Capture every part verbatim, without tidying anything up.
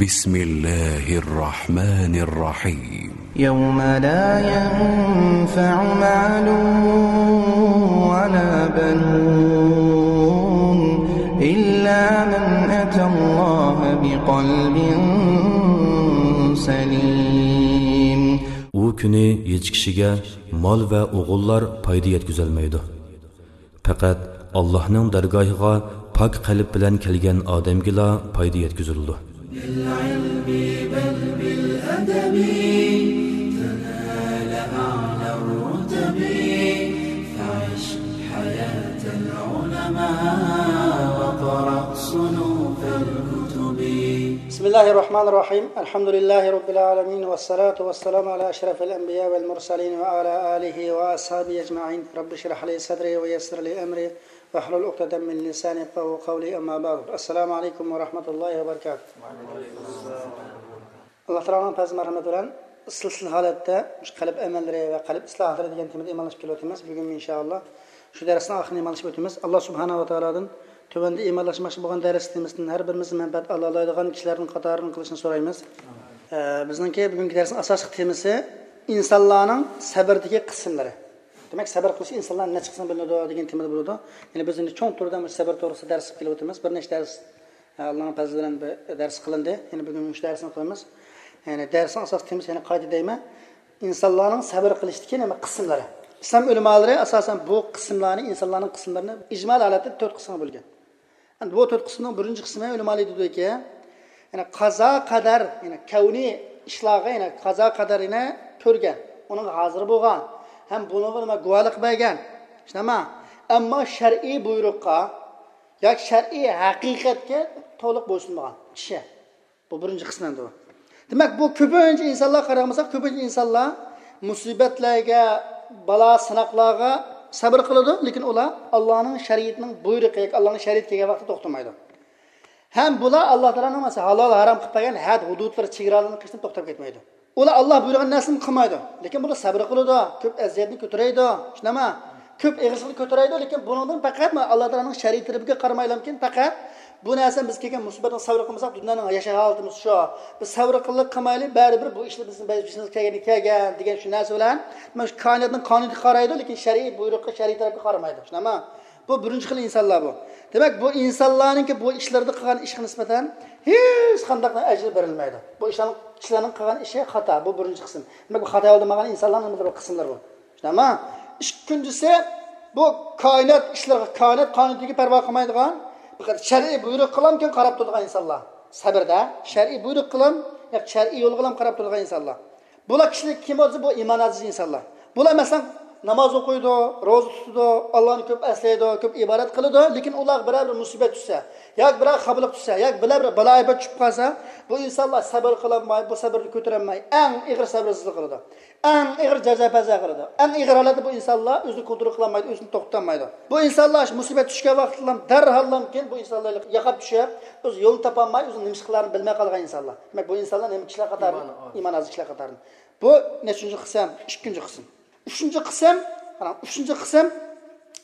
بسم الله الرحمن الرحيم. يوم لا ينفع مال ولا بنون إلا من أتى الله بقلب سليم. ئۇ كۈنى ھېچ كىشىگە مال ۋە ئوغۇللار پايدا يەتكۈزەلمەيدۇ. پەقەت ئاللاھنىڭ دەرگاھىغا پاك قەلب بىلەن كەلگەن ئادەمگىلا پايدا يەتكۈزۈلىدۇ. بالعلم بل بالأدب تنال أعلى الرتب فعش حياة العلماء واقرأ صنوف الكتب. بسم الله الرحمن الرحيم. الحمد لله رب العالمين، والصلاة والسلام على أشرف الأنبياء والمرسلين وعلى آله وأصحابه أجمعين. رب اشرح لي صدري ويسر لي أمري واحلل عقدة من لساني يفقهوا قولي. أما بعد. السلام عليكم ورحمة الله وبركاته. ئاللا تائالانىڭ پەزلى مەرھەمىتى بىلەن سىلسىلە ھالەتتە مۇشۇ قەلب ئەمەللىرى ۋە قەلب ئىسلاھاتلىرى دېگەن تېمىدا ئىمانلىشىپ كېلىۋاتىمىز. بۈگۈن ئىنشائاللا شۇ دەرسنىڭ ئاخىرىنى ئىمانلىشىپ ئۆتىمىز. ئاللا سۇبھانەھۇ ۋە تائالادىن تۆۋەندە ئىمانلاشماقچى بولغان دەرس تېمىسىدىن ھەر بىرىمىز مەنپەئەت ئالالايدىغان كىشىلەردىن قاتارىدىن قىلىشنى سورايمىز. ئە، بىزنىڭكى بۈگۈنكى دەرسنىڭ ئاساسلىق تېمىسى ئىنسانلارنىڭ سەبردىكى قىسىملىرى. دېمەك، سەبر قىلىش ئىنسانلار نەچچە قىسىم بۆلۈنىدۇ دېگەن تېمىدا بولىدۇ. يەنى بىز ئەمدى چوڭ تۈردە مۇشۇ سەبر توغرىسىدا دەرس قىلىپ كېلىۋاتىمىز. بىر نەچچە دەرس، ئە، ئاللانىڭ پەزلى بىلەن بىر دەرس قىلىندى. يەنى بۈگۈن مۇشۇ دەرسنى قىلىمىز. يەنى دەرسنىڭ ئاساسلىق تېمىسى، يەنە قايتا دەيمەن، ئىنسانلارنىڭ سەبر قىلىشتىكى نېمە قىسىملىرى. ئىسلام ئۆلىمالىرى ئاساسەن بۇ قىسىملارنى، ئىنسانلارنىڭ قىسىملىرىنى ئىجمالىي ھالەتتە تۆت قىسىمغا بۆلگەن. ئەمدى بۇ تۆت قىسىمنىڭ بىرىنچى قىسمى ئۆلىمالار دېدىكى، يەنى قازا قەدەر، يەنى كەۋنىي ئىشلارغا، يەنى قازا قەدەر يەنە كۆرگەن، ئۇنىڭغا ھازىر بولغان ھەم بۇنىڭغا نېمە گۇۋاھلىق بەرگەن. شۇنداقمۇ؟ ئەمما شەرئىي بۇيرۇققا ياكى شەرئىي ھەقىقەتكە تولۇق بويسۇنمىغان كىشى. بۇ بىرىنچى قىسىم ئەمدى بۇ. دېمەك، بۇ كۆپىنچە ئىنسانلار قارىغان بولساق، كۆپىنچە ئىنسانلار مۇسىبەتلەرگە، بالا سىناقلارغا سەبر قىلىدۇ، لېكىن ئۇلار ئاللانىڭ شەرىئىتىنىڭ بۇيرۇقى ياكى ئاللانىڭ شەرىئىتى كەلگەن ۋاقىتتا توختىمايدۇ. ھەم بۇلار ئاللا تائالانىڭ مەسىلەن ھالال ھارام قىلىپ بەرگەن ھەد ھۇدۇدلىرى، چېگرالىرىنى قېچىپ توختاپ كەتمەيدۇ. ئۇلار ئاللا بۇيرۇغان نەرسىنى قىلمايدۇ، لېكىن بۇلار سەبر قىلىدۇ، كۆپ ئەزىيەتنى كۆتۈرەيدۇ، شۇنداقمۇ؟ كۆپ ئېغىرچىلىقنى كۆتۈرەيدۇ، لېكىن بۇنىڭدىن پەقەت ئاللا تائالانىڭ شەرىئىتى تەرىپىگە قارىمايلامكىن، پەقەت بۇ نەرسە بىز كەلگەن مۇسىبەتنىڭ سەۋر قىلمىساق، دۇنيانىڭ ياشاش ھالىتىمىز شۇ. بىز سەۋر قىلىپ قىلمايلى، بەرىبىر بۇ ئىشلار بىزنىڭ بېشىمىزغا كەلگەن، كەلگەن دېگەن شۇ نەرسە بىلەن مانا شۇ كائىناتنىڭ قانۇنىغا قارايدۇ، لېكىن شەرئىي بۇيرۇققا، شەرئىي تەرەپكە قارىمايدۇ. شۇنداقمۇ؟ بۇ بىرىنچى خىل ئىنسانلار بۇ. دېمەك، بۇ ئىنسانلارنىڭكى بۇ ئىشلىرىدا قىلغان ئىشىغا نىسبەتەن ھېچقانداق ئەجىر بېرىلمەيدۇ. بۇ ئىشلارنىڭ، كىشىلەرنىڭ قىلغان ئىشى خاتا. بۇ بىرىنچى قىسىم. دېمەك، بۇ خاتا يولدا ماڭغان ئىنسانلارنىڭ بىر قىسىملىرى بۇ. شۇنداقمۇ؟ ئىككىنچىسى، بۇ كائىنات ئىشلىرىغا، كائىنات قانۇنىيىتىگە پەرۋا قىلمايدىغان، پەقەت شەرئىي بۇيرۇق قىلامكەن قاراپ تۇرىدىغان ئىنسانلار. سەبردە، شەرئىي بۇيرۇق قىلام، ياكى شەرئىي يول قىلام قاراپ تۇرىدىغان ئىنسانلار. بۇلار كىشىلىك كىم بولسا، بۇ ئىمان ئاجىز ئىنسانلار. بۇلار، مەسىلەن، ناماز ئوقۇيدۇ، روزا تۇتىدۇ، ئاللانى كۆپ ئەسلەيدۇ، كۆپ ئىبادەت قىلىدۇ، لېكىن ئۇلارغا بىرەر بىر مۇسىبەت چۈشسە، ياكى بىرەر خاپىلىق چۈشسە، ياكى بىرەر بىر بالا ئاپەت چۈشۈپ قالسا، بۇ ئىنسانلار سەبر قىلالماي، بۇ سەبرنى كۆتۈرەلمەي، ئەڭ ئېغىر سەبرسىزلىك قىلىدۇ. ئەڭ ئېغىر جازا-پەزا قىلىدۇ. ئەڭ ئېغىر ھالەتتە بۇ ئىنسانلار ئۆزىنى كونترول قىلالمايدۇ، ئۆزىنى توختىتالمايدۇ. بۇ ئىنسانلار مۇسىبەت چۈشكەن ۋاقىتتىلا دەرھاللامكىن بۇ ئىنسانلار ياقاپ چۈشۈپ، ئۆز يولىنى تاپالماي، ئۆزىنىڭ نېمە ئىش قىلارىنى بىلمەي قالغان ئىنسانلار. دېمەك، بۇ ئىنسانلار نېمە كىشىلەر قاتارىدىن؟ ئىمان ئاز. ئىمان ئاز كىشىلەر قاتارىدىن. بۇ نەچچىنچى قىسىم؟ ئىككىنچى قىسىم. ئۈچىنچى قىسىم، قاراڭ، ئۈچىنچى قىسىم،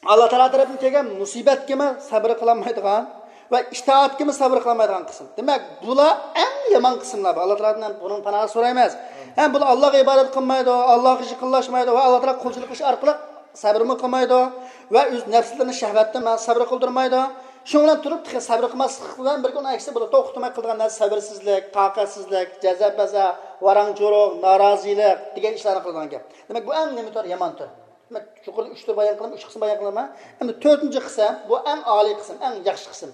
ئاللا تائالا تەرەپتىن كەلگەن مۇسىبەتكىمۇ سەبر قىلالمايدىغان ۋە ئىتائەتكىمۇ سەبر قىلالمايدىغان قىسىم. دېمەك، بۇلار ئەڭ يامان قىسىملار. ئاللا تائالادىن بۇنىڭ پاناھىنى سورايمىز. ھەم بۇلار ئاللاغا ئىبادەت قىلمايدۇ، ئاللاغا ياقىنلاشمايدۇ ۋە ئاللا تائالاغا قۇلچىلىق قىلىش ئارقىلىق سەبرمۇ قىلمايدۇ ۋە ئۆز نەپسلىرىنى شەھۋەتتىن سەبر قىلدۇرمايدۇ. شۇنىڭ بىلەن تۇرۇپ، تېخى سەبر قىلماسلىق بىلەن بىرگە ئۇنىڭ ئەكسى بولىدۇ. توختىماي قىلىدىغان نەرسە سەبرسىزلىك، تاقەتسىزلىك، جەزا-پەزا، ۋاراڭ-چۇرۇڭ، نارازىلىق دېگەن ئىشلارنى قىلىدىغان گەپ. دېمەك، بۇ ئەڭ نېمە تۈر؟ يامان تۈر. دېمەك، يۇقىرىدا ئۈچ تۈر بايان قىلدىم، ئۈچ قىسىم بايان قىلدىم. ئەمدى تۆتىنچى قىسىم، بۇ ئەڭ ئالىي قىسىم، ئەڭ ياخشى قىسىم،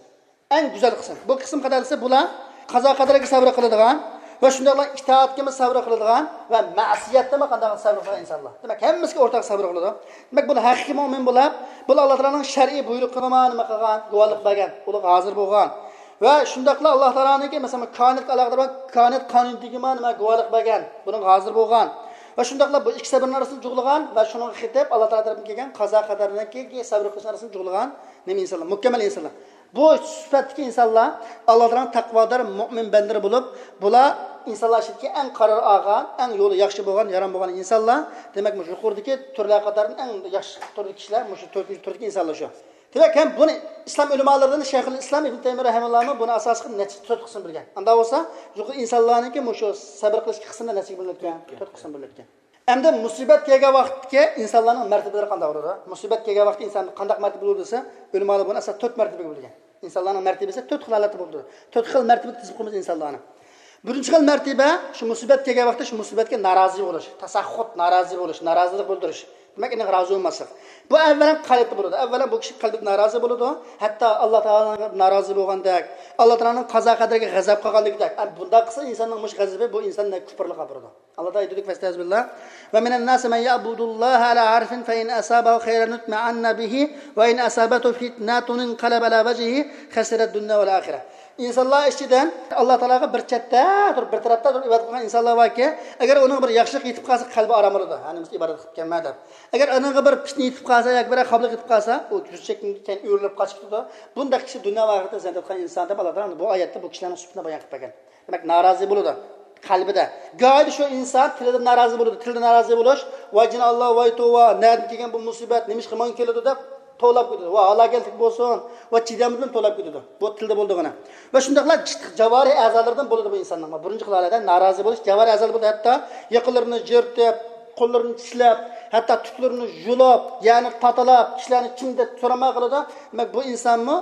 ئەڭ گۈزەل قىسىم. بۇ قىسىم قەدەرلىسە، بۇلار قازا قەدەرگە سەۋر قىلىدىغان ۋە شۇنداقلا ئىتائەتكىمۇ سەۋر قىلىدىغان ۋە مەسىيەتتىمۇ قانداق سەۋر قىلىدىغان ئىنسانلار. دېمەك، ھەممىسىگە ئورتاق سەۋر قىلىدۇ. دېمەك، بۇلار ھەقىقىي مۆمىن بولۇپ، بۇلار ئاللا تائالانىڭ شەرئىي بۇيرۇقىغا نېمە قىلغان، گۇۋاھلىق بەرگەن، ئۇلارغا ھازىر بولغان. ۋە شۇنداقلا ئاللا تائالانىڭكى، مەسىلەن، كائىناتقا ئالاقىدار بولغان كائىنات قانۇنىيىتىگىمۇ نېمە گۇۋاھلىق بەرگەن، بۇنىڭغا ھازىر بولغان. ۋە شۇنداقلا بۇ ئىككى سەۋرنىڭ ئارىسىنى جۇغلىغان ۋە شۇنىڭغا قېتىپ ئاللا تائالا تەرىپىدىن كەلگەن قازا قەدەرنىڭكى سەۋر قىلىشنىڭ ئارىسىنى جۇغلىغان نېمە ئىنسانلار؟ مۇكەممەل ئىنسانلار. بۇ سۈپەتتىكى ئىنسانلار ئاللا تائالانىڭ تەقۋادار مۆمىن بەندىلىرى بولۇپ، بۇلار ئىنسانلار ئىچىدىكى ئەڭ قارار ئالغان، ئەڭ يولى ياخشى بولغان، يارام بولغان ئىنسانلار. دېمەك، مۇشۇ يۇقىرىدىكى تۈرلەر قاتارىدىن ئەڭ ياخشى تۈردىكى كىشىلەر مۇشۇ تۆتىنچى تۈردىكى ئىنسانلار شۇ. دېمەك، ھەم بۇنى ئىسلام ئۆلىمالىرىدىن شەيخۇل ئىسلام ئىبن تەيمىيە رەھىمەللانىڭ بۇنى ئاساس قىلىپ نەچچە، تۆت قىسىم بۆلگەن. ئاندا بولسا يۇقىرى ئىنسانلارنىڭكى مۇشۇ سەبر قىلىشتىكى قىسمىدا نەچچىگە بۆلۈنۈپ كەتكەن؟ تۆت قىسىم بۆلۈنۈپ كەتكەن. ئەمدى مۇسىبەت كەلگەن ۋاقىتتىكى ئىنسانلارنىڭ مەرتىبىلىرى قانداق بولىدۇ؟ مۇسىبەت كەلگەن ۋاقىتتا ئىنسان قانداق مەرتىبە بولىدۇ دېسە، ئۆلىمالار بۇنى ئاساس تۆت مەرتىبىگە بۆلگەن. ئىنسانلارنىڭ مەرتىبىسى تۆت خىل ھالەتتە بولىدۇ. تۆت خىل مەرتىبىگە تىزىپ قويىمىز ئىنسانلارنى. بىرىنچى خىل مەرتىبە، شۇ مۇسىبەت كەلگەن ۋاقىتتا شۇ مۇسىبەتكە نارازى بولۇش، تاساخۇت، نارازى بولۇش، نارازىلىق بىلدۈرۈش. دېمەك، ئېنىق رازى بولماسلىق. بۇ ئەۋۋەلەن قەلبتە بولىدۇ. ئەۋۋەلەن بۇ كىشى قەلبىدە نارازى بولىدۇ. ھەتتا ئاللا تائالانىڭ نارازى بولغاندەك، ئاللا تائالانىڭ قازا قەدىرىگە غەزەپ قىلغانلىكىدەك. ئە، بۇنداق قىلسا ئىنساننىڭ مۇشۇ غەزىپى بۇ ئىنساننى كۇپۇرلۇققا ئاپىرىدۇ. ئاللا تائالا ئېيتىدۇ، فەستەئىزبىللا. ۋە مىنەن ناسى مەن يەئبۇدۇللاھە ئەلا ھەرفىن فەئىن ئەسابەھۇ خەيرەن ئىتمەئەننە بىھى ۋە ئىن ئەسابەتھۇ فىتنەتۇن ئىنقەلەبە ئەلا ۋەجھىھى خەسىرەد دۇنيا ۋەل ئاخىرە. ئىنسانلار ئىچىدىن ئاللا تائالاغا بىر چەتتە تۇرۇپ، بىر تەرەپتە تۇرۇپ ئىبادەت قىلغان ئىنسانلار باركى، ئەگەر ئۇنىڭغا بىر ياخشىلىق يېتىپ قالسا، قەلبى ئارام بولىدۇ. ھە، نېمىسى ئىبادەت قىلىپ كەلمە دەپ. ئەگەر ئۇنىڭغا بىر پىتنە يېتىپ قالسا ياكى بىر خاپىلىق يېتىپ قالسا، ئۇ يۈز چەككىن كەينى ئۆرۈلۈپ قاچىپ كېتىدۇ. بۇنداق كىشى دۇنيا ۋە ئاخىرەتتە زىيان تارتقان ئىنسان دەپ ئاللا تائالا بۇ ئايەتتە بۇ كىشىلەرنىڭ سۈپىتىنى بايان قىلىپ بەرگەن. دېمەك، نارازى بولىدۇ قەلبىدە. گاھىدا شۇ ئىنسان تىلىدا نارازى بولىدۇ. تىلىدا نارازى بولۇش، ۋاي جىناللا، ۋاي توۋا، نەدىن كەلگەن بۇ مۇسىبەت، نېمىشقا ماڭا كېلىدۇ دەپ توۋلاپ كېتىدۇ. ۋاي ھالاكەتلىك بولسۇن، ۋاي چىدامدىن توۋلاپ كېتىدۇ. بۇ تىلدا بولىدىغىنى. ۋە شۇنداقلا جىت-، جاۋارىھ ئەزالىرىدىن بولىدۇ بۇ ئىنساننىڭ. بۇ بىرىنچى خىل ھالەتتە نارازى بولۇش، جاۋارىھ ئەزالىرى بولىدۇ. ھەتتا يېقىنلىرىنى يىرتىپ، قوللىرىنى چىشلەپ، ھەتتا تۇتلىرىنى يۇلۇپ، يەنى تاتىلاپ، كىشىلەرنى كىم دەپ سورىماي قالىدۇ. دېمەك، بۇ ئىنسانمۇ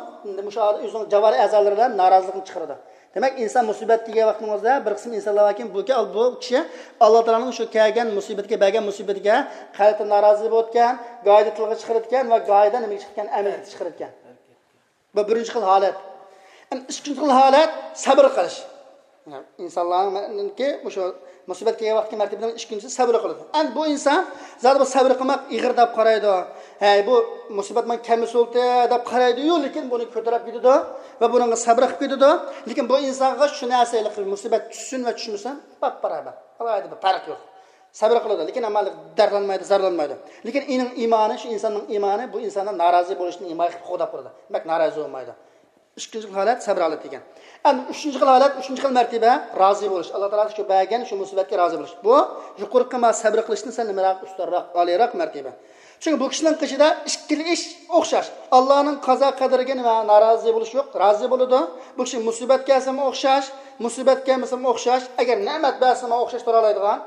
مۇشۇ ئۆزىنىڭ جاۋارىھ ئەزالىرى بىلەن نارازىلىقنى چىقىرىدۇ. دېمەك، ئىنسان مۇسىبەت دېگەن ۋاقتىڭىزدا بىر قىسىم ئىنسانلار باركى، بۇ كى-، بۇ كىشى ئاللا تائالانىڭ شۇ كەلگەن مۇسىبىتىگە، بەرگەن مۇسىبىتىگە قەلبىدە نارازى بولىدىكەن، گاھىدا تىلغا چىقىرىدىكەن ۋە گاھىدا نېمىگە چىقىدىكەن؟ ئەمەلگە چىقىرىدىكەن. بۇ بىرىنچى خىل ھالەت. ئەمدى ئىككىنچى خىل ھالەت سەبر قىلىش. ئىنسانلارنىڭكى مۇشۇ مۇسىبەت كەلگەن ۋاقىتتا مەرتىبىنىڭ ئىككىنچىسى سەبر قىلىدۇ. ئەمدى بۇ ئىنسان زادى بۇ سەبر قىلماق ئېغىر دەپ قارايدۇ. ھەي، بۇ مۇسىبەت ماڭا كەلمىسە بولدى دەپ قارايدۇ-يۇ، لېكىن بۇنى كۆتۈرۈپ كېتىدۇ ۋە بۇنىڭغا سەبر قىلىپ كېتىدۇ. لېكىن بۇ ئىنسانغا شۇ نەرسە ھېلىقى مۇسىبەت چۈشسۇن ۋە چۈشمىسۇن، باپباراۋەر. ئالاھىدە بىر پەرق يوق. سەبر قىلىدۇ، لېكىن ئەمما دەردلەنمەيدۇ، زارلانمايدۇ. لېكىن ئېنىڭ ئىمانى، شۇ ئىنساننىڭ ئىمانى بۇ ئىنساننىڭ نارازى بولۇشىنى ئىما قىلىپ قوغداپ تۇرىدۇ. دېمەك، نارازى بولمايدۇ. ئىككىنچى خىل ھالەت سەبر ھالىتى دېگەن. ئەمدى ئۈچىنچى خىل ھالەت، ئۈچىنچى خىل مەرتىبە رازى بولۇش. ئاللا تائالا شۇ بەرگەن شۇ مۇسىبەتكە رازى بولۇش. بۇ يۇقىرىقى ما سەبر قىلىشتىن سەل نېمىراق، ئۈستۈنرەك، ئالىيراق مەرتىبە. چۈنكى بۇ كىشىنىڭ قېشىدا ئىككىلا ئىش ئوخشاش. ئاللانىڭ قازا قەدىرىگە نېمە نارازى بولۇش يوق، رازى بولىدۇ. بۇ كىشى مۇسىبەت كەلسىمۇ ئوخشاش، مۇسىبەت كەلمىسىمۇ ئوخشاش، ئەگەر نېمەت بەرسىمۇ ئوخشاش تۇرالايدىغان،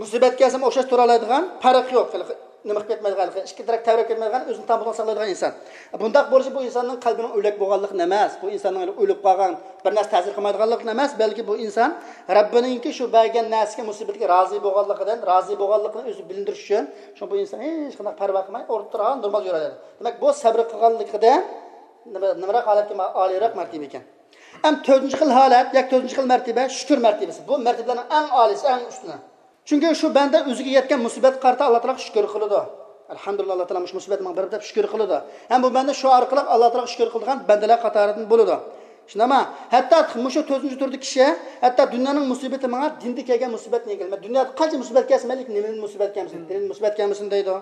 مۇسىبەت كەلسىمۇ ئوخشاش تۇرالايدىغان، پەرق يوق. نېمە قىلىپ كەتمەيدىغان، ئىككى تەرەپ تەۋرەپ كەتمەيدىغان، ئۆزىنى تامپۇتلۇق ساقلايدىغان ئىنسان. بۇنداق بولۇشى بۇ ئىنساننىڭ قەلبىنىڭ ئۆلۈك بولغانلىقىدىن ئەمەس، بۇ ئىنساننىڭ ئۆلۈپ قالغان، بىر نەرسە تەسىر قىلمايدىغانلىقىدىن ئەمەس، بەلكى بۇ ئىنسان رەببىنىڭكى شۇ بەرگەن نەرسىگە، مۇسىبەتكە رازى بولغانلىقىدىن، رازى بولغانلىقىنى ئۆزى بىلىندۈرۈش ئۈچۈن، شۇڭا بۇ ئىنسان ھېچقانداق پەرۋا قىلماي ئولتۇرغان، نورمال يۈرەلەيدۇ. دېمەك، بۇ سەبرى قىلغانلىقىدىن نېمە، نېمىراق ھالەتكە ما-، ئالىيراق مەرتىبە ئىكەن. ئەم تۆتىنچى خىل ھالەت، ياكى تۆتىنچى خىل مەرتىبە شۈكۈر مەرتىبىسى. بۇ مەرتىبىلەرنىڭ ئەڭ ئالىيسى، ئەڭ ئۈستۈنى. چۈنكى شۇ بەندە ئۆزىگە يەتكەن مۇسىبەتكە قارىتا ئاللا تائالاغا شۈكۈر قىلىدۇ. ئەلھەمدۇلىللا، ئاللا تائالا مۇشۇ مۇسىبەت ماڭا بېرىپ دەپ شۈكۈر قىلىدۇ. ھەم بۇ بەندە شۇ ئارقىلىق ئاللا تائالاغا شۈكۈر قىلىدىغان بەندىلەر قاتارىدىن بولىدۇ. شۇنداقمۇ؟ ھەتتا مۇشۇ تۆتىنچى تۈردىكى كىشى، ھەتتا دۇنيانىڭ مۇسىبىتى ماڭا دىندا كەلگەن مۇسىبەتنى يەڭگىل. مەن دۇنيادا قانچە مۇسىبەت كەلسە، مەيلى نېمىدىن مۇسىبەت كەلمىسۇن، دىندىن مۇسىبەت كەلمىسۇن دەيدۇ.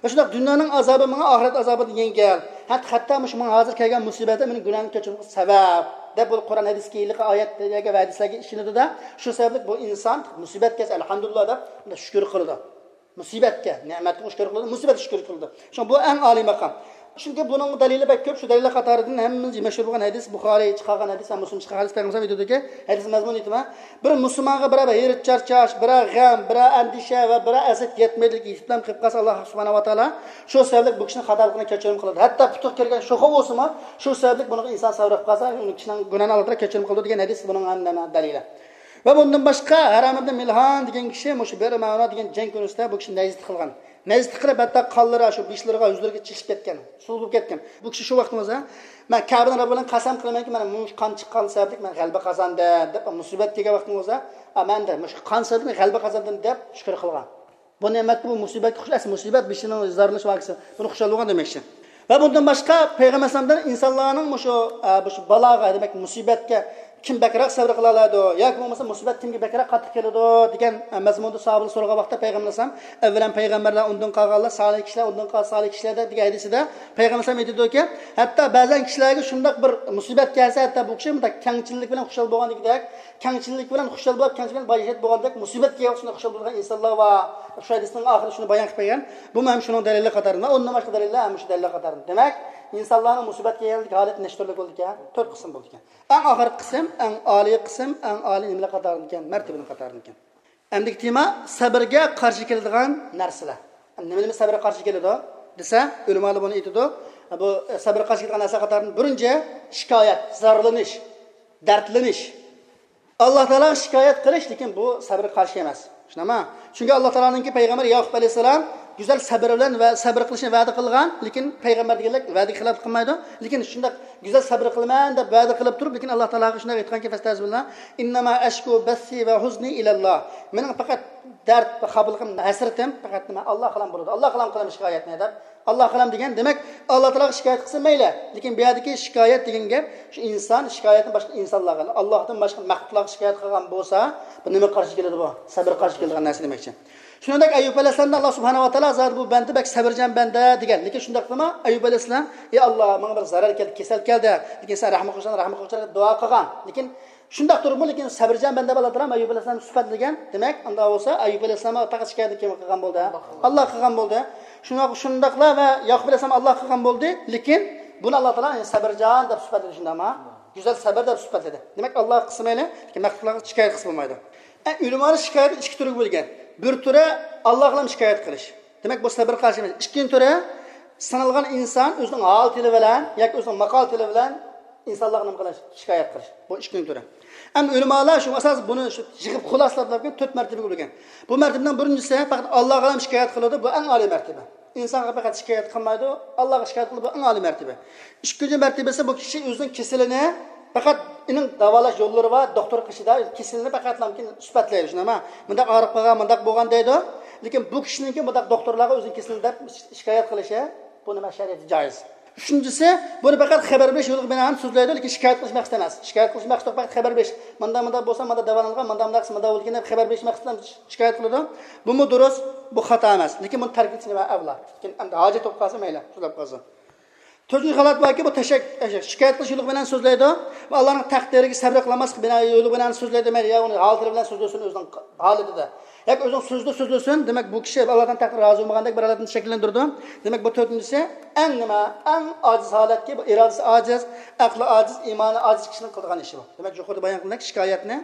ۋە شۇنداق دۇنيانىڭ ئازابى ماڭا ئاخىرەت ئازابىدىن يەڭگىل. ھەتتا، ھەتتا مۇشۇ ماڭا ھازىر كەلگەن مۇسىبەت مېنىڭ گۇناھىمنى كەچۈرۈشۈمگە سەۋەب دەپ، بۇ قۇرئان ھەدىسكە ھېلىقى ئايەتلەرگە ۋە ھەدىسلەرگە ئىشىنىدۇ-دە، شۇ سەۋەبلىك بۇ ئىنسان مۇسىبەت كەلسە، ئەلھەمدۇلىللا دەپ، شۇنداق شۈكۈر قىلىدۇ. مۇسىبەتكە، نېمەتكە شۈكۈر قىلىدۇ، مۇسىبەتكە شۈكۈر قىلىدۇ. شۇڭا بۇ ئەڭ ئالىي ماقام. چۈنكى بۇنىڭ دەلىلى بەك كۆپ. شۇ دەلىللەر قاتارىدىن ھەممىمىز مەشھۇر بولغان ھەدىس، بۇخارىي چىقارغان ھەدىس ۋە مۇسلىم چىقارغان ھەدىس، پەيغەمبەر ئېيتىدۇكى، ھەدىس مەزمۇنى ئېيتىمەن. بىر مۇسۇلمانغا بىرەر ھېرىت چارچاش، بىرەر غەم، بىرەر ئەندىشە ۋە بىرەر ئەزىيەت يەتمەيدىلىك يېتىپ قېلىپ قالسا، ئاللا سۇبھانەھۇ ۋە تائالا شۇ سەۋەبلىك بۇ كىشىنىڭ خاتالىقىنى كەچۈرۈم قىلىدۇ. ھەتتا پۇتىغا كىرگەن شوخا بولسىمۇ، شۇ سەۋەبلىك بۇنىڭغا ئىنسان سەۋر قىلىپ قالسا، ئۇنىڭ كىشىنىڭ گۇناھىنى ئاللا تائالا كەچۈرۈم قىلىدۇ دېگەن ھەدىس بۇنىڭ ھەم دەلىلى. ۋە بۇندىن باشقا، ھارام ئىبن مىلھان دېگەن كىشى مۇشۇ بىئر مەئۇنە دېگەن جەڭ كۈنىسىدە بۇ كىشى نەجىسلىك قىلغان. نەجىسلىك قىلىپ، ھەتتا قانلىرى شۇ بېشلىرىغا، يۈزلىرىگە چىقىپ كەتكەن. سۇ بولۇپ كەتكەن. بۇ كىشى شۇ ۋاقتىڭىزدا، مەن كەبىنىڭ رەببى بىلەن قەسەم قىلىمەنكى، مانا مۇشۇ قان چىققان سەۋەبلىك مەن غەلىبە قازاندىم دەپ، مۇسىبەت كەلگەن ۋاقتىڭىزدا، ئا، مەن دە مۇشۇ قان سەۋەبلىك غەلىبە قازاندىم دەپ شۈكۈر قىلغان. بۇ نېمەتكە، بۇ مۇسىبەتكە خۇش، ئەسلى مۇسىبەت بېشىنىڭ زارلىنىش ۋاقتىسى. بۇنى خۇشال بولغان دېمەكچى. ۋە بۇندىن باشقا، پەيغەمبەر ئەلەيھىسسالامدىن ئىنسانلارنىڭ مۇشۇ، ئە، مۇشۇ بالاغا، دېمەك، مۇسىبەتكە كىم بەكرەك سەۋر قىلالايدۇ ياكى بولمىسا مۇسىبەت كىمگە بەكرەك قاتتىق كېلىدۇ دېگەن، ئە، مەزمۇندا ساھابىلەر سورىغان ۋاقىتتا پەيغەمبەر ئەلەيھىسسالام، ئەۋۋەلەن پەيغەمبەرلەر، ئۇندىن قالغانلار، سالىھ كىشىلەر، ئۇندىن قالغان سالىھ كىشىلەر دەپ دېگەن ھەدىسىدە پەيغەمبەر ئەلەيھىسسالام ئېيتىدۇكى، ھەتتا بەزەن كىشىلەرگە شۇنداق بىر مۇسىبەت كەلسە، ھەتتا بۇ كىشى مۇنداق كەڭچىللىك بىلەن خۇشال بولغاندىكىدەك، كەڭچىللىك بىلەن خۇشال بولۇپ، كەڭچىلىك بىلەن باياشات بولغاندەك، مۇسىبەت كەلگەن ۋاقىتتا شۇنداق خۇشال بولىدىغان ئىنسانلار بار. شۇ ھەدىسنىڭ ئاخىرىدا شۇنى بايان قىلىپ بەرگەن. بۇمۇ ھەم شۇنىڭ دەلىلى قاتارىدا، ئۇندىن باشقا دەلىللەر ھەم شۇ دەلىللەر قاتارىدا. دېمەك، ئىنسانلارنىڭ مۇسىبەت كەلگەندىكى ھالەت نەچچە تۈرلۈك بولىدىكەن؟ تۆت قىسىم بولىدىكەن. ئەڭ ئاخىرقى قىسىم، ئەڭ ئالىي قىسىم، ئەڭ ئالىي نېمىلەر قاتارىدىكەن؟ مەرتىۋىنىڭ قاتارىدىكەن. ئەمدىكى تېما سەبرگە قارشى كېلىدىغان نەرسىلەر. نېمە نېمە سەبرگە قارشى كېلىدۇ دېسە، ئۆلىمالار بۇنى ئېيتىدۇ. بۇ سەبرگە قارشى كېلىدىغان نەرسىلەر قاتارىدىن بىرىنچى شىكايەت، زارلىنىش، دەردلىنىش. ئاللا تائالاغا شىكايەت قىلىش، لېكىن بۇ سەبرگە قارشى ئەمەس. شۇنداقمۇ؟ چۈنكى ئاللا تائالانىڭكى پەيغەمبىرى ياقۇپ ئەلەيھىسسالام گۈزەل سەبر بىلەن ۋە سەبر قىلىشنى ۋەدە قىلغان، لېكىن پەيغەمبەر دېگەنلەر ۋەدىگە خىلاپلىق قىلمايدۇ. لېكىن شۇنداق گۈزەل سەبر قىلىمەن دەپ ۋەدە قىلىپ تۇرۇپ، لېكىن ئاللا تائالاغا شۇنداق ئېيتقانكى، فەستەزبىللا، ئىننەما ئەشكۇ بەسسى ۋە ھۇزنى ئىلەللا. مېنىڭ پەقەت دەرد ۋە خاپىلىقىم، ھەسرىتىم پەقەت نېمە؟ ئاللاغا قىلىمەن بۇنى، ئاللاغا قىلىمەن شىكايەتنى دەپ. ئاللاغا قىلىمەن دېگەن، دېمەك، ئاللا تائالاغا شىكايەت قىلسا مەيلى. لېكىن بۇ يەردىكى شىكايەت دېگەن گەپ شۇ ئىنسان شىكايەتنى باشقا ئىنسانلارغا، ئاللاھتىن باشقا مەخلۇقلارغا شىكايەت قىلغان بولسا، بۇ نېمە قارشى كېلىدۇ بۇ؟ سەبر قارشى كېلىدىغان نەرسە دېمەكچى. شۇنىڭدەك ئەييۇب ئەلەيھىسسالامدا ئاللا سۇبھانەھۇ ۋە تائالا زادى بۇ بەندە بەك سەبرچان بەندە دېگەن. لېكىن شۇنداقتىمۇ ئەييۇب ئەلەيھىسسالام، ئى ئاللا، ماڭا بىر زەرەر كەلدى، كېسەل كەلدى. لېكىن سەن رەھمەت قىلغىن، رەھمەت قىلغىن دەپ دۇئا قىلغان. لېكىن شۇنداق تۇرۇپمۇ، لېكىن سەبرچان بەندە بولاتتى ئەييۇب ئەلەيھىسسالام سۈپەتلىگەن. دېمەك، ئۇنداق بولسا ئەييۇب ئەلەيھىسسالامغا پەقەت شىكايەتنى كىم قىلغان بولدى؟ ئاللا قىلغان بولدى. شۇنداق، شۇنداقلا ۋە ياقۇپ ئەلەيھىسسالام ئاللا قىلغان بولدى. لېكىن بۇنى ئاللا تائالا سەبرچان دەپ سۈپەتلىدى، شۇنداقمۇ؟ گۈزەل سەبر دەپ سۈپەتلىدى. دېمەك، ئاللاغا قىلسا مەيلى، لېكىن مەخلۇقلارغا شىكايەت قىلسا بولمايدۇ. ئە، ئۆلىمالار شىكايەتنى ئىككى تۈرگە بۆلگەن. بىر تۈرى ئاللاغا شىكايەت قىلىش. دېمەك، بۇ سەبر قارشى ئەمەس. ئىككىنچى تۈرى سىنالغان ئىنسان ئۆزىنىڭ ھال تىلى بىلەن ياكى ئۆزىنىڭ ماقال تىلى بىلەن ئىنسانلارغا نېمە قىلىش؟ شىكايەت قىلىش. بۇ ئىككىنچى تۈرى. ئەمما ئۆلىمالار شۇ ئاساس بۇنى شۇ يىغىپ خۇلاسىلاپ تۆت مەرتىۋىگە بۆلگەن. بۇ مەرتىۋىنىڭ بىرىنچىسى پەقەت ئاللاغا شىكايەت قىلىدۇ، بۇ ئەڭ ئالىي مەرتىۋە. ئىنسانغا پەقەت شىكايەت قىلمايدۇ، ئاللاغا شىكايەت قىلىدۇ، بۇ ئەڭ ئالىي مەرتىۋە. ئىككىنچى مەرتىۋىسى بۇ كىشى ئۆزىنىڭ كېسىلىنى پەقەت ئېنىق داۋالاش يوللىرى بار، دوختۇر قېشىدا كېسىلىنى پەقەتلا سۈپەتلەيدۇ، شۇنداقمۇ؟ مۇنداق ئاغرىپ قالغان، مۇنداق بولغان دەيدۇ. لېكىن بۇ كىشىنىڭكى مۇنداق دوختۇرلارغا ئۆزىنىڭ كېسىلىنى دەپ شىكايەت قىلىشى، بۇ نېمە شەرىئەتتە جائىز. ئۈچىنچىسى، بۇنى پەقەت خەۋەر بېرىش يولىغا بىنائەن سۆزلەيدۇ، لېكىن شىكايەت قىلىش مەقسىتى ئەمەس. شىكايەت قىلىش مەقسىتى يوق، پەقەت خەۋەر بېرىش. مانداق، مانداق بولسا، مانداق داۋالانغان، مانداق، مانداق قىلسا، مانداق بولىدىكەن دەپ خەۋەر بېرىش مەقسىتى بىلەن شىكايەت قىلىدۇ. بۇمۇ دۇرۇس، بۇ خاتا ئەمەس. لېكىن بۇنى تەرك ئېتىش نېمە ئەۋلا. لېكىن ئەمدى ھاجەت بولۇپ قالسا مەيلى، سۆزلەپ قالسۇن. تۆتىنچى ھالەت باركى، بۇ تەشەك-، شىكايەت قىلىش يولى بىلەن سۆزلەيدۇ. ۋە ئاللانىڭ تەقدىرىگە سەبرى قىلالماسلىق بىنا يولى بىلەن سۆزلەيدۇ، مەيلى، يا ئۇنى ھالىتى بىلەن سۆزلىسۇن ئۆزىنىڭ ھالىتىدە. ياكى ئۆزىنىڭ سۆزىدە سۆزلىسۇن، دېمەك، بۇ كىشى ئاللادىن تەقدىر رازى بولمىغاندەك بىر ھالەتنى شەكىللەندۈرىدۇ. دېمەك، بۇ تۆتىنچىسى ئەڭ نېمە، ئەڭ ئاجىز ھالەتكى، بۇ ئىرادىسى ئاجىز، ئەقلى ئاجىز، ئىمانى ئاجىز كىشىنىڭ قىلىدىغان ئىشى بۇ. دېمەك، يۇقىرىدا بايان قىلغاندەك شىكايەتنى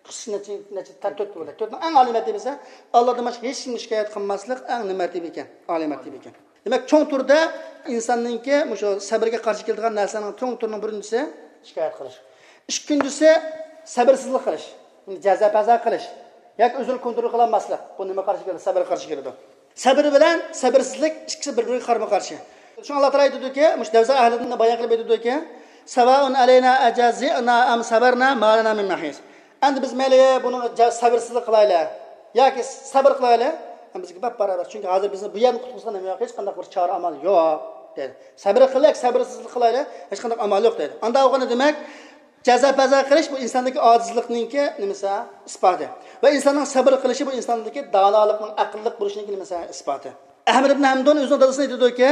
قىسىم نەچچە، نەچچە تەر-، تۆت بولدى. تۆتنىڭ ئەڭ ئالىي مەرتىۋىسى، ئاللادىن باشقا ھېچ كىمگە شىكايەت قىلماسلىق ئەڭ نېمە مەرتىۋە ئىكەن؟ ئالىي مەرتىۋە ئىكەن. دېمەك، چوڭ تۈردە ئىنساننىڭكى مۇشۇ سەبرگە قارشى كېلىدىغان نەرسىنىڭ چوڭ تۈرىنىڭ بىرىنچىسى شىكايەت قىلىش. ئىككىنچىسى سەبرسىزلىك قىلىش. جازا-پازا قىلىش. ياكى ئۆزىنى كونترول قىلالماسلىق. بۇ نېمە قارشى كېلىدۇ؟ سەبرگە قارشى كېلىدۇ. سەبر بىلەن سەبرسىزلىك ئىككىسى بىر-بىرىگە قارىمۇ قارشى. شۇڭا ئاللا تائالا ئېيتىدۇكى، مۇشۇ دەۋزا ئەھلىدىن بايان قىلىپ ئېيتىدۇكى، ساۋائۇن ئەلەينا ئەجەزىئنا ئەم سەبەرنا ما لەنا مىن مەھىس. ئەمدى بىز مەيلى بۇنىڭغا جا-، سەبرسىزلىك قىلايلى ياكى سەبر قىلايلى، بىزگە بەپ باراۋەر. چۈنكى ھازىر بىزنى بۇ يەردىن قۇتقۇزغان نېمە يوق، ھېچقانداق بىر چارە ئامال يوق دەيدۇ. سەبر قىلايلى، سەبرسىزلىك قىلايلى، ھېچقانداق ئامال يوق دەيدۇ. ئاندا بولغاندا دېمەك، جازا-پازا قىلىش بۇ ئىنساندىكى ئاجىزلىقنىڭكى نېمىسى؟ ئىسپاتى. ۋە ئىنساننىڭ سەبر قىلىشى بۇ ئىنساندىكى دانالىقنىڭ، ئەقىللىق بولۇشىنىڭكى نېمىسى؟ ئىسپاتى. ئەھمەد ئىبن ھەمدۇن ئۆزىنىڭ دادىسىنى ئېيتىدۇكى،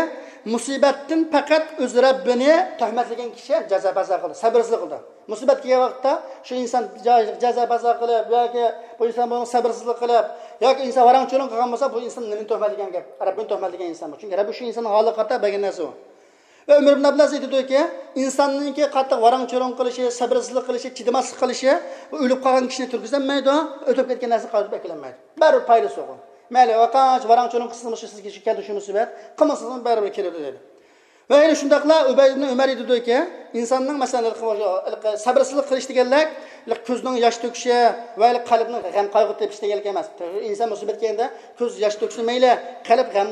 مۇسىبەتتىن پەقەت ئۆز رەببىنى تۆھمەتلىگەن كىشى جازا-پازا قىلىدۇ، سەبرسىزلىك قىلىدۇ. مۇسىبەت كەلگەن ۋاقىتتا شۇ ئىنسان جا-، جازا-پازا قىلىپ ياكى بۇ ئىنسان بۇنىڭ سەبرسىزلىك قىلىپ ياكى ئىنسان ۋاراڭ-چۇرۇڭ قىلغان بولسا، بۇ ئىنسان نېمىنى تۆھمەتلىگەن گەپ؟ رەببىنى تۆھمەتلىگەن ئىنسان بۇ. چۈنكى رەببى شۇ ئىنساننىڭ ھالىغا قارىتا بەرگەن نەرسە ئۇ. ۋە ئۆمەر ئىبن ئابدۇلئەزىز ئېيتىدۇكى، ئىنساننىڭكى قاتتىق ۋاراڭ-چۇرۇڭ قىلىشى، سەبرسىزلىك قىلىشى، چىدىماسلىق قىلىشى، ئۇ ئۆلۈپ قالغان كىشىنى تۇرغۇزالمايدۇ، ئۆتۈپ كەتكەن نەرسىنى قايتۇرۇپ ئەكېلەلمەيدۇ. بەرىبىر پايدىسى يوق. مەيلى، ۋاقانچە ۋاراڭ-چۇرۇڭ قىلسىڭىزمۇ، شۇ سىزگە شۇ كەلدى، شۇ مۇسىبەت، قىلمىسىڭىزمۇ بەرىبىر كېلىدۇ دەيدۇ. ۋە يەنە شۇنداقلا ئۇبەيد ئىبن ئۆمەر ئېيتىدۇكى، ئىنساننىڭ، مەسىلەن، ھېلىقى، ھېلىقى سەبرسىزلىق قىلىش دېگەنلىك، ھېلىقى كۆزنىڭ ياش تۆكۈشى ۋە ھېلىقى قەلبنىڭ غەم-قايغۇ تېپىشى دېگەنلىك ئەمەس. ئىنسان مۇسىبەت كەلگەندە كۆز ياش تۆكسە مەيلى، قەلب غەم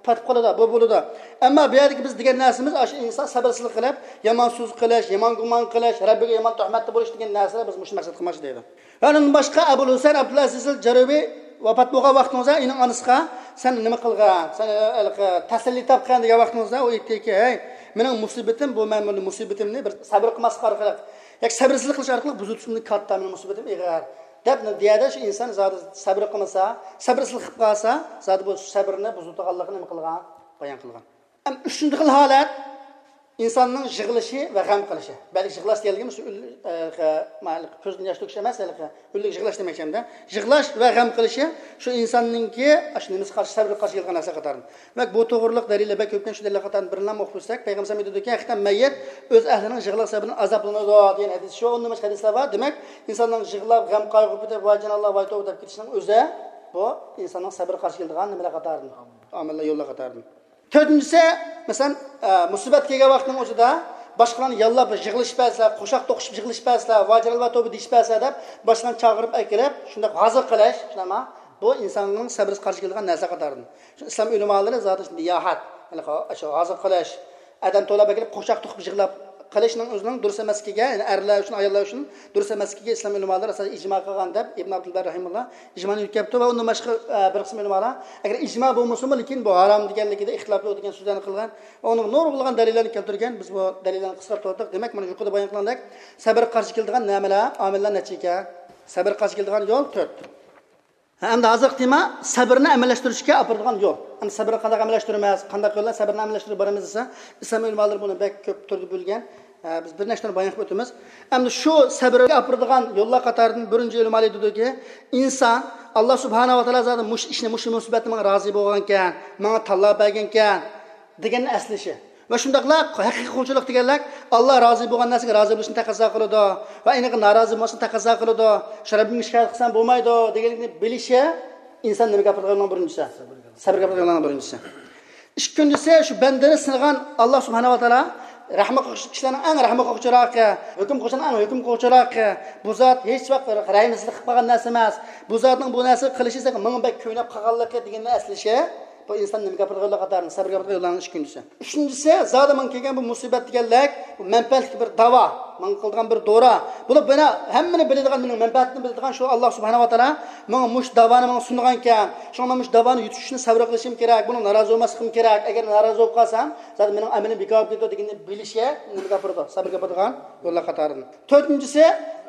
پاتىپ قالىدۇ، بۇ بولىدۇ. ئەمما بۇ يەردىكى بىز دېگەن نەرسىمىز، ئاشۇ ئىنسان سەبرسىزلىك قىلىپ، يامان سۆز قىلىش، يامان گۇمان قىلىش، رەببىگە يامان تۆھمەتتە بولۇش دېگەن نەرسىلەر بىز مۇشۇ مەقسەتكە قىلماقچى دەيدۇ. ۋە ئۇنىڭدىن باشقا ئەبۇل ھۈسەن ئابدۇلئەزىز ئەل جەرۇبى ۋاپات بولغان ۋاقتىڭىزدا ئېنىڭ ئانىسىغا، سەن نېمە قىلغان؟ سەن، ئە، ھېلىقى تەسەللى تاپقان دېگەن ۋاقتىڭىزدا ئۇ ئېيتتىكى، ھەي، مېنىڭ مۇسىبىتىم بۇ، مەن بۇ مۇسىبىتىمنى بىر سەبر قىلماسلىق ئارقىلىق ياكى سەبرسىزلىك قىلىش ئارقىلىق بۇزۇۋېتىشىمدىن كاتتا، مېنىڭ مۇسىبىتىم ئېغىر. دەپ، دۇنيادا شۇ ئىنسان زادى سەبرى قىلمىسا، سەبرسىزلىك قىلىپ قالسا، زادى بۇ سەبرىنى بۇزىدىغانلىقىنى نېمە قىلغان؟ بايان قىلغان. ئەم، ئۈچىنچى خىل ھالەت، ئىنساننىڭ يىغلىشى ۋە غەم قىلىشى. بەلكى يىغلاش دېيەلىگىمۇ شۇ ئۈن-، ئە، غە-، ما-، كۆزدىن ياش تۆكۈش ئەمەس، ھېلىقى ئۈنلۈك يىغلاش دېمەكچى ئەمدى. يىغلاش ۋە غەم قىلىشى شۇ ئىنساننىڭكى شۇ نېمىسى قارشى، سەۋرگە قارشى كېلىدىغان نەرسە قاتارىدىن. دېمەك، بۇ توغرىلىق دەلىللەر بەك كۆپكەن، شۇ دەلىللەر قاتارىدىن بىرىنى ئوقۇپ ئۆتسەك، پەيغەمبەر ئېيتىدۇكى، ھەقىقەتەن مەييىت ئۆز ئەھلىنىڭ يىغلاق سەۋەبىدىن ئازابلىنىدۇ دېگەن ھەدىس. شۇ ئون نېمە ھەدىسلەر بار. دېمەك، ئىنساننىڭ يىغلاپ، غەم قايغۇ پۈتۈپ، ۋاي جاناللا، ۋاي توۋا دەپ كېتىشىنىڭ ئۆزى بۇ ئىنساننىڭ سەۋرگە قارشى كېلىدىغان نېمىلەر قاتارىدىن، ئامىللار، يوللار قاتارىدىن. تۆتىنچىسى، مەسىلەن، ئە، مۇسىبەت كەلگەن ۋاقىتنىڭ ئۆزىدە باشقىلارنى ياللاپ يىغلىشىپ بەرسە، قوشاق توقۇشۇپ يىغلىشىپ بەرسە، ۋاجىرال ۋە توبا دېيىشىپ بەرسە دەپ باشقىلارنى چاقىرىپ ئەكىرىپ، شۇنداق ھازىر قىلىش، شۇنداقمۇ؟ بۇ ئىنساننىڭ سەبرىگە قارشى كېلىدىغان نەرسە قاتارىدىن. شۇ ئىسلام ئۆلىمالىرى زادى شۇ نىياھەت، يەنى شۇ ھازىر قىلىش، ئادەم تولا بېكىنىپ قوشاق توقۇپ يىغلاپ قىلىشنىڭ ئۆزىنىڭ دۇرۇس ئەمەسلىكىگە، يەنى ئەرلەر ئۈچۈن، ئاياللار ئۈچۈن دۇرۇس ئەمەسلىكىگە ئىسلام ئۆلىمالىرى ئاساسەن ئىجما قىلغان دەپ ئىبن ئابدۇلبەر رەھىمۇللا ئىجمانى يۆتكەپتۇ ۋە ئۇندىن باشقا، ئە، بىر قىسىم ئۆلىمالار ئەگەر ئىجما بولمىسىمۇ، لېكىن بۇ ھارام دېگەنلىكىدە ئىختىلاپلىق دېگەن سۆزلەرنى قىلغان، ئۇنىڭ نۇرغۇنلىغان دەلىللەرنى كەلتۈرگەن. بىز بۇ دەلىللەرنى قىسقىراپ توختىدۇق. دېمەك، مانا يۇقىرىدا بايان قىلغاندەك، سەبرگە قارشى كېلىدىغان نەمىلەر، ئامىللار نەچچە ئىكەن؟ سەبرگە قارشى كېلىدىغان يول تۆت. ھە، ئەمدى ھازىرقى تېما سەبرنى ئەمەلىشتۈرۈشكە ئاپىرىدىغان يول. ئەمدى سەبرنى قانداق ئەمەلىشتۈرىمىز؟ قانداق يول بىلەن سەبرنى ئەمەلىشتۈرۈپ بارىمىز دېسە، ئىسلام ئۆلىمالىرى بۇنى بەك كۆپ تۈردە بۆلگەن. ھە، بىز بىر نەچچە تۈرنى بايان قىلىپ ئۆتىمىز. ئەمدى شۇ سەبرگە ئاپىرىدىغان يوللار قاتارىدىن بىرىنچى ئۆلىمالار دېدىكى، ئىنسان، ئاللا سۇبھانەھۇ ۋە تائالا زادى مۇشۇ ئىشنى، مۇشۇ مۇسىبەتنى ماڭا رازى بولغانكەن، ماڭا تاللاپ بەرگەنكەن دېگەننى ئەسلىشى. ۋە شۇنداقلا ھەقىقىي قۇلچىلىق دېگەنلىك، ئاللا رازى بولغان نەرسىگە رازى بولۇشنى تەقەززا قىلىدۇ ۋە ئېنىقى نارازى بولماسلىقنى تەقەززا قىلىدۇ. شۇ رەببىمگە شىكايەت قىلسام بولمايدۇ دېگەنلىكنى بىلىشى ئىنسان نېمىگە ئاپىرىدىغانلىقىنىڭ بىرىنچىسى. سەبرگە ئاپىرىدىغانلىقنىڭ بىرىنچىسى. ئىككىنچىسى، شۇ بەندىنى سىنىغان ئاللا سۇبھانەھۇ ۋە تائالا رەھمەت قىلغۇچى كىشىلەرنىڭ ئەڭ رەھمەت قىلغۇچىراقى، ھۆكۈم قىلغۇچىلارنىڭ ئەڭ ھۆكۈم قىلغۇچىراقى. بۇ زات ھېچ ۋاقىت رەھىمسىزلىك قىلىپ قالغان نەرسە ئەمەس. بۇ زاتنىڭ بۇ نەرسىگە قىلىشى ماڭا بەك كۆيۈنۈپ قالغانلىقى دېگەننى ئەسلىشى. بۇ ئىنسان نېمىگە ئاپىرىدىغان يوللار قاتارىدىن، سەبرگە ئاپىرىدىغان يوللارنىڭ ئىككىنچىسى. ئۈچىنچىسى، زادى ماڭا كەلگەن بۇ مۇسىبەت دېگەنلىك، بۇ مەنپەئەتلىك بىر داۋا، ماڭا قىلىدىغان بىر دورا. بۇلار مانا ھەممىنى بىلىدىغان، مېنىڭ مەنپەئەتىمنى بىلىدىغان شۇ ئاللا سۇبھانەھۇ ۋە تائالا ماڭا مۇشۇ داۋانى ماڭا سۇنغانكەن، شۇڭا مەن مۇشۇ داۋانى يۇتۇشۇشنى سەۋر قىلىشىم كېرەك، بۇنىڭ نارازى بولماسلىقىم كېرەك. ئەگەر نارازى بولۇپ قالسام، زادى مېنىڭ ئەمىلىم بىكار بولۇپ كېتىدۇ دېگەننى بىلىشى نېمىگە ئاپىرىدۇ؟ سەبرگە ئاپىرىدىغان يوللار قاتارىدىن. تۆتىنچىسى،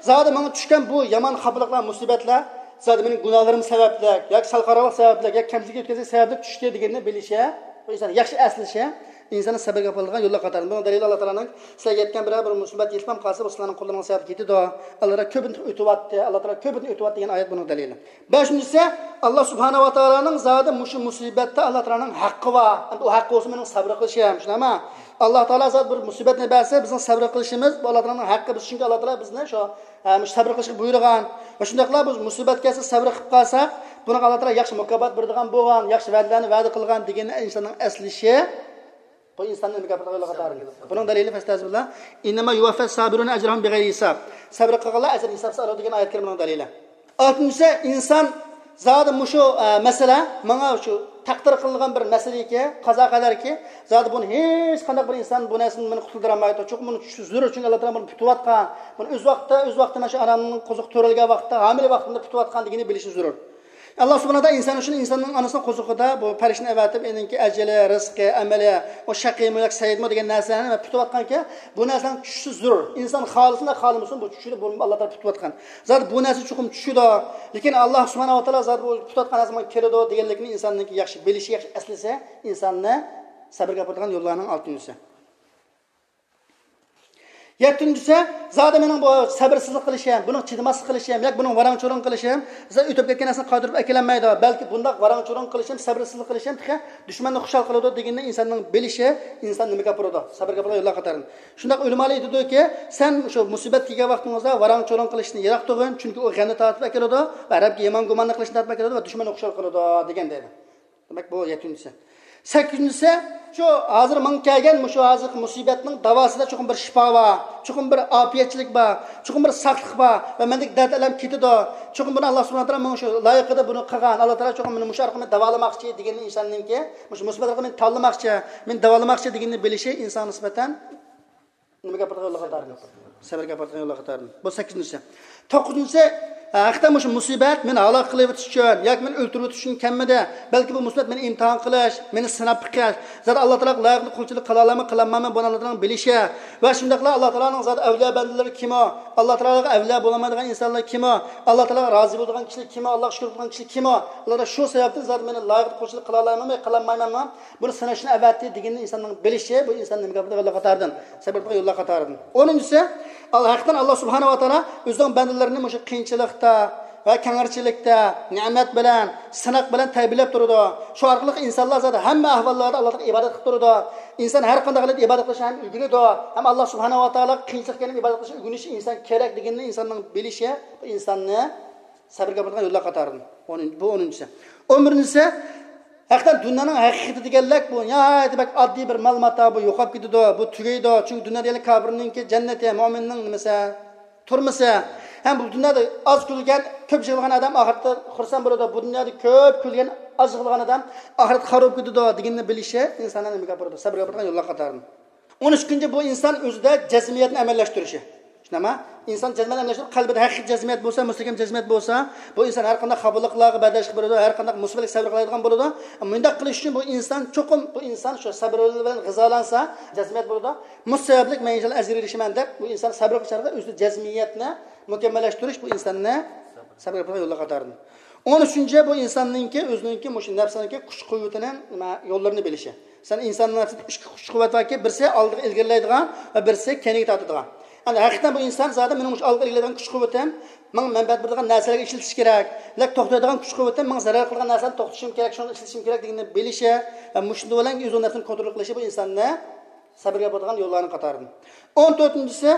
زادى ماڭا چۈشكەن بۇ يامان خاپىلىقلار، مۇسىبەتلەر زادى مېنىڭ گۇناھلىرىم سەۋەبلىك ياكى سەل قاراڭغۇلۇق سەۋەبلىك ياكى كەمچىلىك ئۆتكەزگەن سەۋەبلىك چۈشتى دېگەننى بىلىشى، بۇ ئىنسان ياخشى ئەسلىشى، ئىنساننى سەبرگە ئاپىرىدىغان يوللار قاتارىدىن. بۇنىڭ دەلىلى ئاللا تائالانىڭ، سىلەرگە يەتكەن بىرەر بىر مۇسىبەت يېتىپ قالسا، بۇ سىلەرنىڭ قوللىرىڭىز سەۋەبلىك يېتىدۇ. ئاللا تائالا كۆپىنچە ئۆتۈۋاتتى، ئاللا تائالا كۆپىنچە ئۆتۈۋاتتى دېگەن ئايەت بۇنىڭ دەلىلى. بەشىنچىسى، ئاللا سۇبھانەھۇ ۋە تائالانىڭ زادى مۇشۇ مۇسىبەتتە ئاللا تائالانىڭ ھەققى بار. ئەمدى ئۇ ھەققى بولسا مېنىڭ سەبر قىلىشىم، شۇنداقمۇ؟ ئاللا تائالا زادى بىر مۇسىبەتنى بەرسە، بىزنىڭ سەبر قىلىشىمىز، بۇ ئاللا تائالانىڭ ھەققى، بىز، چۈنكى ئاللا تائالا بىزنى شۇ، ھە، مۇشۇ سەبر قىلىشقا بۇيرۇغان. ۋە شۇنداقلا بۇ مۇسىبەت كەلسە سەبر قىلىپ قالساق، بۇنىڭغا ئاللا تائالا ياخشى مۇكاپات بېرىدىغان بولغان، ياخشى ۋەدىلەرنى ۋەدە قىلغان دېگەننى ئىنساننىڭ ئەسلىشى، بۇ ئىنساننى نېمىگە ئاپىرىدىغان يوللار قاتارىدىن. بۇنىڭ دەلىلى، فەستەزىبىللا، ئىننەما يۇۋەففەس سابىرۇنە ئەجرەھۇم بىغەيرى ھىساب. سەبر قىلغانلار ئەجرىنى ھېسابسىز ئالىدۇ دېگەن ئايەت كەرىمىنىڭ دەلىلى. ئالتىنچىسى، ئىنسان زادى مۇشۇ، ئە، مەسىلە ماڭا شۇ تەقدىر قىلىنغان بىر مەسىلىكى، قازا قەدەركى، زادى بۇنى ھېچ قانداق بىر ئىنسان بۇ نەرسىدىن مېنى قۇتۇلدۇرالمايدۇ. چۈنكى بۇنى چۈشى زۆرۈر، چۈنكى ئاللا تائالا بۇنى پۈتۈۋاتقان. بۇنى ئۆز ۋاقتىدا، ئۆز ۋاقتىدا مانا شۇ ئانامنىڭ قوزۇقى تۆرەلگەن ۋاقتىدا، ھامىلە ۋاقتىدا پۈتۈۋاتقان دېگىنى بىلىشى زۆرۈر. ئاللا سۇبھانەھۇ ۋە تائالا ئىنسان ئۈچۈن ئىنساننىڭ ئانىسىنىڭ قوزۇقىدا بۇ پەرىشتىنى ئەۋەتىپ، ئېنىڭكى ئەجىلى، رىزقى، ئەمىلى، ئۇ شەقىيمۇ ياكى سەئىدمۇ دېگەن نەرسىلەرنى پۈتۈۋاتقانكەن، بۇ نەرسىلەرنىڭ چۈشىشى زۆرۈر. ئىنسان خالىسۇن يا خالىمىسۇن، بۇ چۈشىدۇ، بۇ ئاللا تائالا پۈتۈۋاتقان. زادى بۇ نەرسە چوقۇم چۈشىدۇ. لېكىن ئاللا سۇبھانەھۇ ۋە تائالا زادى بۇ پۈتۈۋاتقان نەرسە ماڭا كېلىدۇ دېگەنلىكنى ئىنساننىڭكى ياخشى بىلىشى، ياخشى ئەسلىسە، ئىنساننى سەبرگە ئاپىرىدىغان يوللارنىڭ ئالتىنچىسى. يەتتىنچىسى، زادى مېنىڭ بۇ سەبرسىزلىك قىلىشىم، بۇنىڭ چىدىماسلىق قىلىشىم ياكى بۇنىڭ ۋاراڭ-چۇرۇڭ قىلىشىم، زادى ئۆتۈپ كەتكەن نەرسىنى قايتۇرۇپ ئەكېلەلمەيدۇ. بەلكى بۇنداق ۋاراڭ-چۇرۇڭ قىلىشىم، سەبرسىزلىك قىلىشىم تېخى دۈشمەننى خۇشال قىلىدۇ دېگىنىنى ئىنساننىڭ بىلىشى ئىنساننى نېمىگە ئاپىرىدۇ؟ سەبرگە ئاپىرىدۇ، يوللار قاتارىدىن. شۇنداق ئۆلىمالار ئېيتىدۇكى، سەن شۇ مۇسىبەت كەلگەن ۋاقتىڭىزدا ۋاراڭ-چۇرۇڭ قىلىشتىن يىراق تۇرغىن، چۈنكى ئۇ غەمنى تارتىپ ئەكېلىدۇ ۋە رەبكە يامان گۇماننى قىلىشنى تارتىپ ئەكېلىدۇ ۋە دۈشمەننى خۇشال قىلىدۇ دېگەن دەيدۇ. دېمەك، بۇ يەتتىنچىسى. سەككىزىنچىسى، شۇ ھازىر ماڭا كەلگەن مۇشۇ ھازىرقى مۇسىبەتنىڭ داۋاسىدا چوقۇم بىر شىپا بار، چوقۇم بىر ئاپىيەتچىلىك بار، چوقۇم بىر ساقلىق بار ۋە مەندىكى دەرد ئەلەم كېتىدۇ. چوقۇم بۇنى ئاللا سۇبھانەھۇ ۋە تائالا ماڭا شۇ لايىقىدا بۇنى قىلغان، ئاللا تائالا چوقۇم مېنى مۇشۇ ئارقىلىق مېنى داۋالىماقچى دېگىنىنى ئىنساننىڭكى، مۇشۇ مۇسىبەت ئارقىلىق مېنى تاللىماقچى، مېنى داۋالىماقچى دېگىنىنى بىلىشى ئىنسانغا نىسبەتەن نېمىگە ئاپىرىدىغان يوللار قاتارىدىن؟ سەبرگە ئاپىرىدىغان يوللار قاتارىدىن. بۇ سەككىزىنچىسى. توققۇزىنچىسى، ھەقىقەتەن مۇشۇ مۇسىبەت مېنى ھالاك قىلىۋېتىش ئۈچۈن ياكى مېنى ئۆلتۈرۈۋېتىش ئۈچۈن كەلمىدى. بەلكى بۇ مۇسىبەت مېنى ئىمتىھان قىلىش، مېنى سىناپ بېقىش. زادى ئاللا تائالاغا لايىقلىق قۇلچىلىق قىلالاممۇ، قىلالمايمەن، بۇنى ئاللا تائالانىڭ بىلىشى. ۋە شۇنداقلا ئاللا تائالانىڭ زادى ئەۋلىيا بەندىلىرى كىمۇ، ئاللا تائالاغا ئەۋلىيا بولالمايدىغان ئىنسانلار كىمۇ، ئاللا تائالاغا رازى بولىدىغان كىشىلەر كىمۇ، ئاللاغا شۈكۈر قىلىدىغان كىشىلەر كىمۇ، ئاللا تائالا شۇ سەۋەبتىن زادى مېنى لايىقلىق قۇلچىلىق قىلالمايمەنمۇ، قىلالمايمەنمۇ، بۇنى سىناشنى ئەۋەتتى دېگىنىنى ئىنساننىڭ بىلىشى، بۇ ئىنساننى نېمە قىلىدىغان يوللار قاتارىدىن، سەبر قىلىدىغان يوللار قاتارىدىن. ئونىنچىسى، ئال-، ھەقىقەتەن ئاللا سۇبھانەھۇ ۋە تائالا ئۆزىنىڭ بەندىلىرىنى مۇشۇ قىيىنچىلىقتا ۋە كەڭرىچىلىكتە نېمەت بىلەن، سىناق بىلەن تەربىيەلەپ تۇرىدۇ. شۇ ئارقىلىق ئىنسانلار زادى ھەممە ئەھۋاللاردا ئاللاغا ئىبادەت قىلىپ تۇرىدۇ. ئىنسان ھەر قانداق ھالەتتە ئىبادەت قىلىشنى ھەم ئۆگىنىدۇ، ھەم ئاللا سۇبھانەھۇ ۋە تائالاغا قىيىنچىلىق كەلگەندە ئىبادەت قىلىشنى ئۆگىنىشى ئىنسان كېرەك دېگىنىنى ئىنساننىڭ بىلىشى بۇ ئىنساننى سەبرگە ئاپىرىدىغان يوللار قاتارىدىن. ئون، بۇ ئونىنچىسى. ئون بىرىنچىسى، ھەقىقەتەن دۇنيانىڭ ھەقىقىتى دېگەنلىك بۇ ناھايىتى بەك ئاددىي بىر مال ماتا، بۇ يوقاپ كېتىدۇ، بۇ تۈگەيدۇ. چۈنكى دۇنيا دېگەنلىك كاپىرنىڭكى جەننىتى، مۆمىننىڭ نېمىسى، تۈرمىسى. ھەم بۇ دۇنيادا ئاز كۈلگەن، كۆپ يىغلىغان ئادەم ئاخىرەتتە خۇرسەن بولىدۇ. بۇ دۇنيادا كۆپ كۈلگەن، ئاز يىغلىغان ئادەم ئاخىرەتتە خار بولۇپ كېتىدۇ دېگىنىنى بىلىشى ئىنساننى نېمىگە ئاپىرىدۇ؟ سەبرگە ئاپىرىدىغان يوللار قاتارىدىن. ئون ئۈچىنچى، بۇ ئىنسان ئۆزىدە جەزمىيەتنى ئەمەللەشتۈرۈشى. شۇنداقمۇ؟ ئىنسان جەزمىيەتنى ئەمەللەشتۈرۈپ، قەلبىدە ھەقىقىي جەزمىيەت بولسا، مۇستەھكەم جەزمىيەت بولسا، بۇ ئىنسان ھەر قانداق خاپىلىقلارغا بەرداشلىق بېرىدۇ، ھەر قانداق مۇسىبەتلەرگە سەۋر قىلالايدىغان بولىدۇ. مۇنداق قىلىش ئۈچۈن بۇ ئىنسان چوقۇم، بۇ ئىنسان شۇ سەبر بىلەن غىزالانسا، جەزمىيەت بولىدۇ. مۇشۇ سەۋەبلىك مەن ئىنشاللا ئەجىر ئېرىشىمەن دەپ، بۇ ئىنسان سەبر قىلىش ئارقىلىق ئۆزىدە جەزمىيەتنى مۇكەممەللەشتۈرۈش بۇ ئىنساننى سەبر قىلىدىغان يوللار قاتارىدىن. ئون ئۈچىنچى، بۇ ئىنساننىڭكى ئۆزىنىڭكى مۇشۇ نەپسىنىڭكى كۈچ قۇۋۋىتىنىڭ نېمە يوللىرىنى بىلىشى. سەن ئىنساننىڭ نەپسىدە ئىككى كۈچ قۇۋۋەت باركى، بىرسى ئالدىغا ئىلگىرىلەيدىغان ۋە بىرسى كەينىگە تارتىدىغان. يەنى ھەقىقەتەن بۇ ئىنسان زادى مېنىڭ مۇشۇ ئالدىغا ئىلگىرىلەيدىغان كۈچ قۇۋۋىتىم ماڭا مەنپەئەت بېرىدىغان نەرسىلەرگە ئىشلىتىش كېرەك. لەك توختايدىغان كۈچ قۇۋۋىتىم ماڭا زەرەر قىلىدىغان نەرسىلەرنى توختىتىشىم كېرەك، شۇنى ئىشلىتىشىم كېرەك دېگىنىنى بىلىشى ۋە مۇشۇنىڭ بىلەن ئۆزىنىڭ نەپسىنى كونترول قىلىشى بۇ ئىنساننى سەبرگە بولىدىغان يوللارنىڭ قاتارىدىن. ئون تۆتىنچىسى،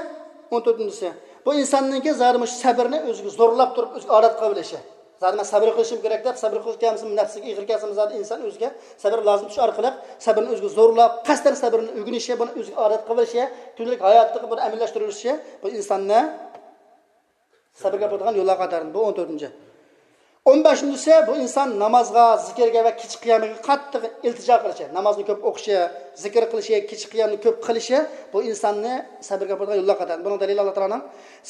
ئون تۆتىنچىسى، بۇ ئىنساننىڭكى زادى مۇشۇ سەبرنى ئۆزىگە زورلاپ تۇرۇپ، ئۆزىگە ئادەت قىلىۋېلىشى. زادى مەن سەبر قىلىشىم كېرەك دەپ، سەبر قىلىش كەلمىسىمۇ، نەپسىگە ئېغىر كەلسىمۇ، زادى ئىنسان ئۆزىگە سەبر لازىم، شۇ ئارقىلىق سەبرنى ئۆزىگە زورلاپ، قەستەن سەبرنى ئۆگىنىشى، بۇنى ئۆزىگە ئادەت قىلىۋېلىشى، كۈندىلىك ھاياتىدا بۇنى ئەمەلىيلەشتۈرۈۋېلىشى بۇ ئىنساننى سەبرگە بولىدىغان يوللار قاتارىدىن. بۇ ئون تۆتىنچى. ئون بەشىنچىسى، بۇ ئىنسان نامازغا، زىكىرگە ۋە كېچە قىيامىغا قاتتىق ئىلتىجا قىلىشى، نامازنى كۆپ ئوقۇشى، زىكىر قىلىشى، كېچە قىيامنى كۆپ قىلىشى بۇ ئىنساننى سەبرگە ئاپىرىدىغان يوللار قاتارىدىن. بۇنىڭ دەلىلى ئاللا تائالانىڭ،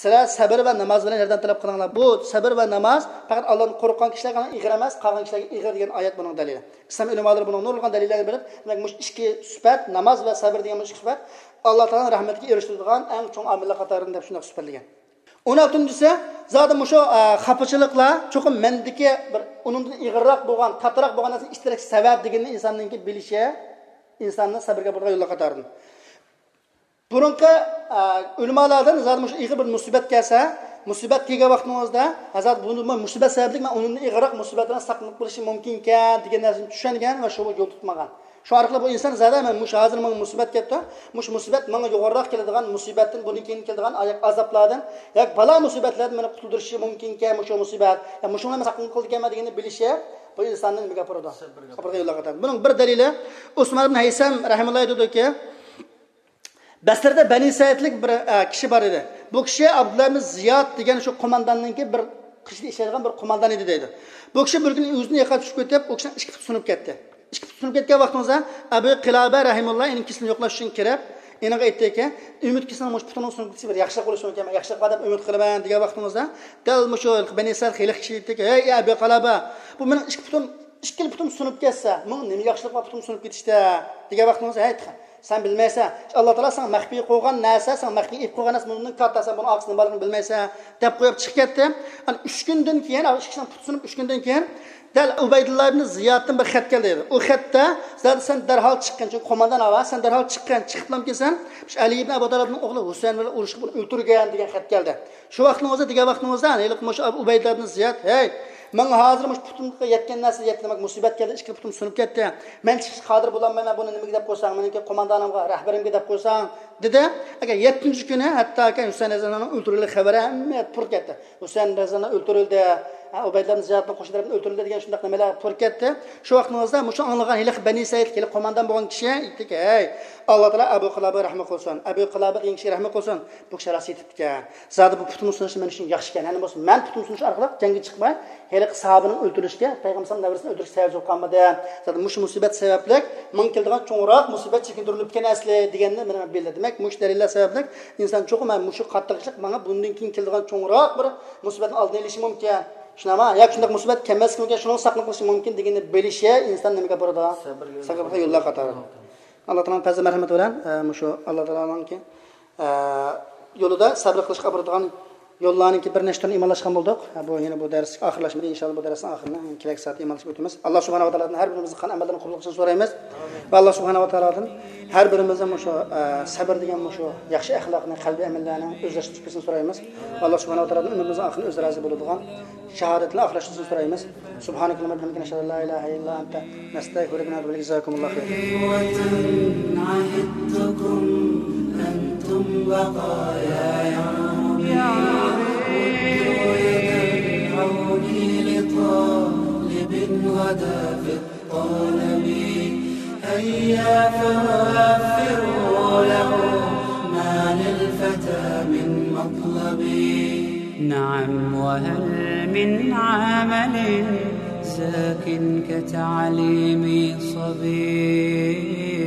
سىلەر سەبر ۋە ناماز بىلەن ياردەم تەلەپ قىلىڭلار. بۇ سەبر ۋە ناماز پەقەت ئاللادىن قورققان كىشىلەرگە ئېغىر ئەمەس، قالغان كىشىلەرگە ئېغىر دېگەن ئايەت بۇنىڭ دەلىلى. ئىسلام ئۆلىمالىرى بۇنىڭ نۇرغۇن دەلىللەرنى بېرىپ، دېمەك، مۇشۇ ئىككى سۈپەت، ناماز ۋە سەبر دېگەن مۇشۇ ئىككى سۈپەت ئاللا تائالانىڭ رەھمىتىگە ئېرىشتۈرىدىغان ئەڭ چوڭ ئامىللار قاتارىدىن دەپ شۇنداق سۈپەتلىگەن. ئون ئالتىنچىسى، زادى مۇشۇ، ئە، خاپىچىلىقلار چوقۇم مەندىكى بىر ئۇنىڭدىن ئېغىرراق بولغان، قاتتىقراق بولغان نەرسىنى ئىشلەتتەك سەۋەب دېگىنىنى ئىنساننىڭكى بىلىشى ئىنساننى سەبرگە بولىدىغان يوللار قاتارىدىن. بۇرۇنقى، ئە، ئۆلىمالاردىن زادى مۇشۇ ئېغىر بىر مۇسىبەت كەلسە، مۇسىبەت كەلگەن ۋاقتىڭىزدا، ھە، زادى بۇ مۇسىبەت سەۋەبلىك مەن ئۇنىڭدىن ئېغىرراق مۇسىبەتلەردىن ساقلىنىپ قېلىشىم مۇمكىنكەن دېگەن نەرسىنى چۈشەنگەن ۋە شۇ يول تۇتمىغان. شۇ ئارقىلىق بۇ ئىنسان زادى مەن مۇشۇ ھازىر ماڭا مۇسىبەت كەپتۇ، مۇشۇ مۇسىبەت ماڭا يۇقىرىراق كېلىدىغان مۇسىبەتتىن، بۇنىڭ كېيىن كېلىدىغان ئاياق ئازابلاردىن، ياكى بالا مۇسىبەتلەردىن مېنى قۇتۇلدۇرۇشى مۇمكىنكەن مۇشۇ مۇسىبەت، يا مۇشۇنى مەن ساقلىنىپ قالىدىكەنمەن دېگىنىنى بىلىشى بۇ ئىنساننى نېمىگە ئاپىرىدۇ؟ سەبرگە ئاپىرىدۇ. بۇنىڭ بىر دەلىلى، ئۇسمان ئىبن ھەيسەم رەھىمۇللا ئېيتىدۇكى، بەسرىدە بەنى سەئىدلىك بىر، ئە، كىشى بار ئىدى. بۇ كىشى ئابدۇللا ئىبن زىياد دېگەن شۇ قومانداننىڭكى بىر قىشىدا ئىشلەيدىغان بىر قوماندان ئىدى دەيدۇ. بۇ كىشى بىر كۈنى ئۆزىدىن يىقىلىپ چۈشۈپ كېتىپ، ئۇ كىشىنىڭ ئىككى پۇتى سۇنۇپ كەتتى. ئىككى پۇتى سۇنۇپ كەتكەن ۋاقتىڭىزدا ئەبۇ قىلابە رەھىمۇللا ئېنىڭ كېسىلىنى يوقلاش ئۈچۈن كىرىپ، ئېنىڭغا ئېيتتىكى، ئۈمىد كېسىلىنىڭ مۇشۇ پۇتىنىڭ سۇنۇپ كېتىشى بىر ياخشىلىق بولۇشى مۇمكىن، ياخشىلىق بار دەپ ئۈمىد قىلىمەن دېگەن ۋاقتىڭىزدا، دەل مۇشۇ بەنى سەئىد ھېلىقى كىشى ئېيتتىكى، ھەي ئەبۇ قىلابە، بۇ مېنىڭ ئىككى پۇتۇم ئىككىلا پۇتۇم سۇنۇپ كەتسە، ماڭا نېمە ياخشىلىق بار پۇتۇم سۇنۇپ كېتىشتە؟ دېگەن ۋاقتىڭىزدا، ھەي، سەن بىلمەيسەن. ئاللا تائالا ساڭا مەخپىي قويغان نەرسە، ساڭا مەخپىي ئېلىپ قويغان نەرسە بۇنىڭدىن كاتتا، سەن بۇنىڭ ئارقىسىدا نېمە بارلىقىنى بىلمەيسەن، دەپ قويۇپ چىقىپ كەتتى. ئانا ئۈچ كۈندىن كېيىن، ئىككىسىنىڭ پۇتى سۇنۇپ ئۈچ كۈندىن كېيىن، دەل ئۇبەيدۇللا ئىبن زىيادتىن بىر خەت كەلدى. ئۇ خەتتە، زادى سەن دەرھال چىققىن، چۈنكى قوماندان ئاۋا، سەن دەرھال چىققىن، چىقىپلامكىسەن، شۇ ئەلى ئىبن ئەبۇ تالىبنىڭ ئوغلى ھۈسەيىن بىلەن ئۇرۇشۇپ ئۇنى ئۆلتۈرگەن دېگەن خەت كەلدى. شۇ ۋاقتىڭىزدا، دېگەن ۋاقتىڭىزدا، ھېلىقى مۇشۇ ئۇبەيدۇللا ئىبن زىياد، ھەي، ماڭا ھازىر مۇشۇ پۇتۇمغا يەتكەن نەرسە يەتتى، دېمەك، مۇسىبەت كەلدى، ئىككى پۇتۇم سۇنۇپ كەتتى. مەن چىقىشقا قادىر بولالمايمەن، بۇنى نېمىگە دەپ قويساڭ، مېنىڭكى قوماندانىمغا، رەھبىرىمگە دەپ قويساڭ، دېدى. ئەگەر يەتتىنچى كۈنى ھەتتاكى ھۈسەيىن رەزىياللاھۇ ئەنھۇنىڭ ئۆلتۈرۈلگەن خەۋىرى ھەممە پۇر كەتتى. ھۈسەيىن رەزىياللاھۇ ئەنھۇ ئۆلتۈرۈلدى، ھە، ئۇبەيدۇللا ئىبن زىيادنىڭ قوشۇن تەرىپىدىن ئۆلتۈرۈلدى دېگەن شۇنداق نېمىلەر پۇر كەتتى. شۇ ۋاقتىڭىزدا مۇشۇ ئاڭلىغان ھېلىقى بەنى سەئىد، ھېلىقى قوماندان بولغان كىشى ئېيتتىكى، ھەي، ئاللا تائالا ئەبۇ قىلابىغا رەھمەت قىلسۇن، ئەبۇ قىلابە دېگەن كىشىگە رەھمەت قىلسۇن، بۇ كىشى راست ئېيتىپتىكەن. زادى بۇ پۇتۇمنى سۇنۇشى مەن ئۈچۈن ياخشىكەن. يەنى بولسا مەن پۇتۇمنى سۇنۇش ئارقىلىق جەڭگە چىقماي، ھېلى ساھابىنىڭ ئۆلتۈرۈلۈشىگە، پەيغەمبەر ئەلەيھىسسالام نەۋرىسىنى ئۆلتۈرۈشكە سەۋەبچى بولۇپ قالمىدى. زادى مۇشۇ مۇسىبەت سەۋەبلىك ماڭا كېلىدىغان چوڭراق مۇسىبەت چېكىندۈرۈلۈپكەن ئەسلى دېگەننى مانا بىلدى. دېمەك، مۇشۇ دەلىللەر سەۋەبلىك ئىنسان چوقۇم، ھە، مۇشۇ قاتتىق ئىشلىق ماڭا بۇندىن كېيىن كېلىدىغان چوڭراق بىر مۇسىبەتنى ئالدىنى ئېلىشى مۇمكىن. شۇنداقمۇ؟ ياكى شۇنداق مۇسىبەت كەلمەسلىكى مۇمكىن، شۇنىڭ ساقلىنىپ قېلىشى مۇمكىن دېگەننى بىلىشى ئىنسان نېمىگە ئاپىرىدۇ؟ سەبرگە. سەبرگە يوللار قاتارىدۇ. ئاللا تائالانىڭ پەزلى مەرھەمىتى بىلەن، ئە، مۇشۇ ئاللا تائالانىڭكى، ئە، يولىدا سەبر قىلىشقا ئاپىرىدىغان يوللارنىڭكى بىر نەچچە تۈرىنى ئىمانلاشقان بولدۇق. ئە، بۇ يەنە بۇ دەرس ئاخىرلاشمىدى. ئىنشاللا بۇ دەرسنىڭ ئاخىرىنى كېلەك سائەت ئىمانلاشقا ئۆتىمىز. ئاللا سۇبھانەھۇ ۋە تائالادىن ھەر بىرىمىزنىڭ قىلغان ئەمەللىرىنى قوبۇل قىلىشنى سورايمىز. ۋە ئاللا سۇبھانەھۇ ۋە تائالادىن ھەر بىرىمىزنىڭ مۇشۇ، ئە، سەبر دېگەن مۇشۇ ياخشى ئەخلاقنى، قەلبىي ئەمەللەرنى ئۆزلەشتۈرۈپ بېرىشنى سورايمىز. ۋە ئاللا سۇبھانەھۇ ۋە تائالادىن ئۆمرىمىزنىڭ ئاخىرىنى ئۆزى رازى بولىدىغان شاھادەت بىلەن ئاخىرلاشتۇرۇشنى سورايمىز. سبحانك اللهم وبحمدك، نشهد أن لا إله إلا أنت، نستغفرك ونتوب إليك. جزاكم الله خيرا. عهدتكم أنتم بقايا يا ربي، مدوا يد العون لطالب غدا في الطلب. هيا فوفروا له ما للفتى من مطلب. نعم، وهل من عمل زاك كتعليم صبي؟